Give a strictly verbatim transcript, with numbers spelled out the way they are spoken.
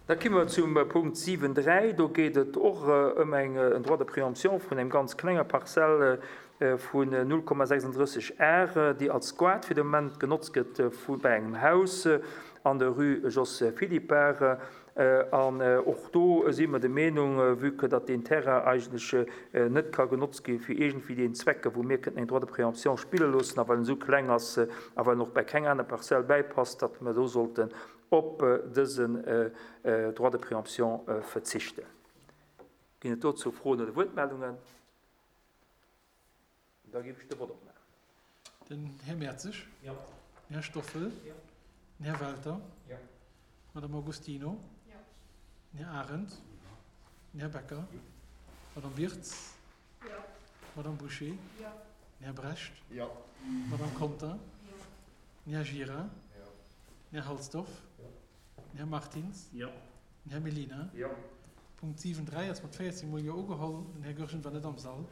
Da komme mer zum Punkt siwen dräi. Do geet et och ëm eng, en Droit de préemption vun engem ganz klenge Parzelle vun null Komma sechsunddrësseg Ar, déi als Squat fir de Moment genotzt gëtt vu bei engem Haus an der Rue Jos Philippart. An och do si mer der Meenung, vue que datt deen Terrain eigentlech net ka genotzt gi fir iergendwéi deen Zwecke wou mir kënnten eng Droit de préemption spille loossen, a well en esou kleng ass a well en och bei keng aner Parzell bäipasst, datt mer do sollten op dësen Droit de préemption verzichten. Ginn et dozou Froen oder Wuertmeldungen? Da géif ech de Vott opmaachen. Den Här Mertzig. Jo. Den Här Stoffel. Jo. Den Här Welter. Jo. D'Madame Augustino. Jo. Den Här Arendt. Den Här Becker. Jo. D'Madame Wirtz. Jo. D'Madame Bouché. Jo. Den Här Brecht. Jo. D'Madame Conter. Jo. Den Här Gira. Jo. Den Här Halsdorf. Jo. Den Här Martins. Jo. Den Här Mellina. Jo. Punkt siwen dräi ass mat véierzéng Mol Jo ugeholl. Den Här Goergen war net am Sall.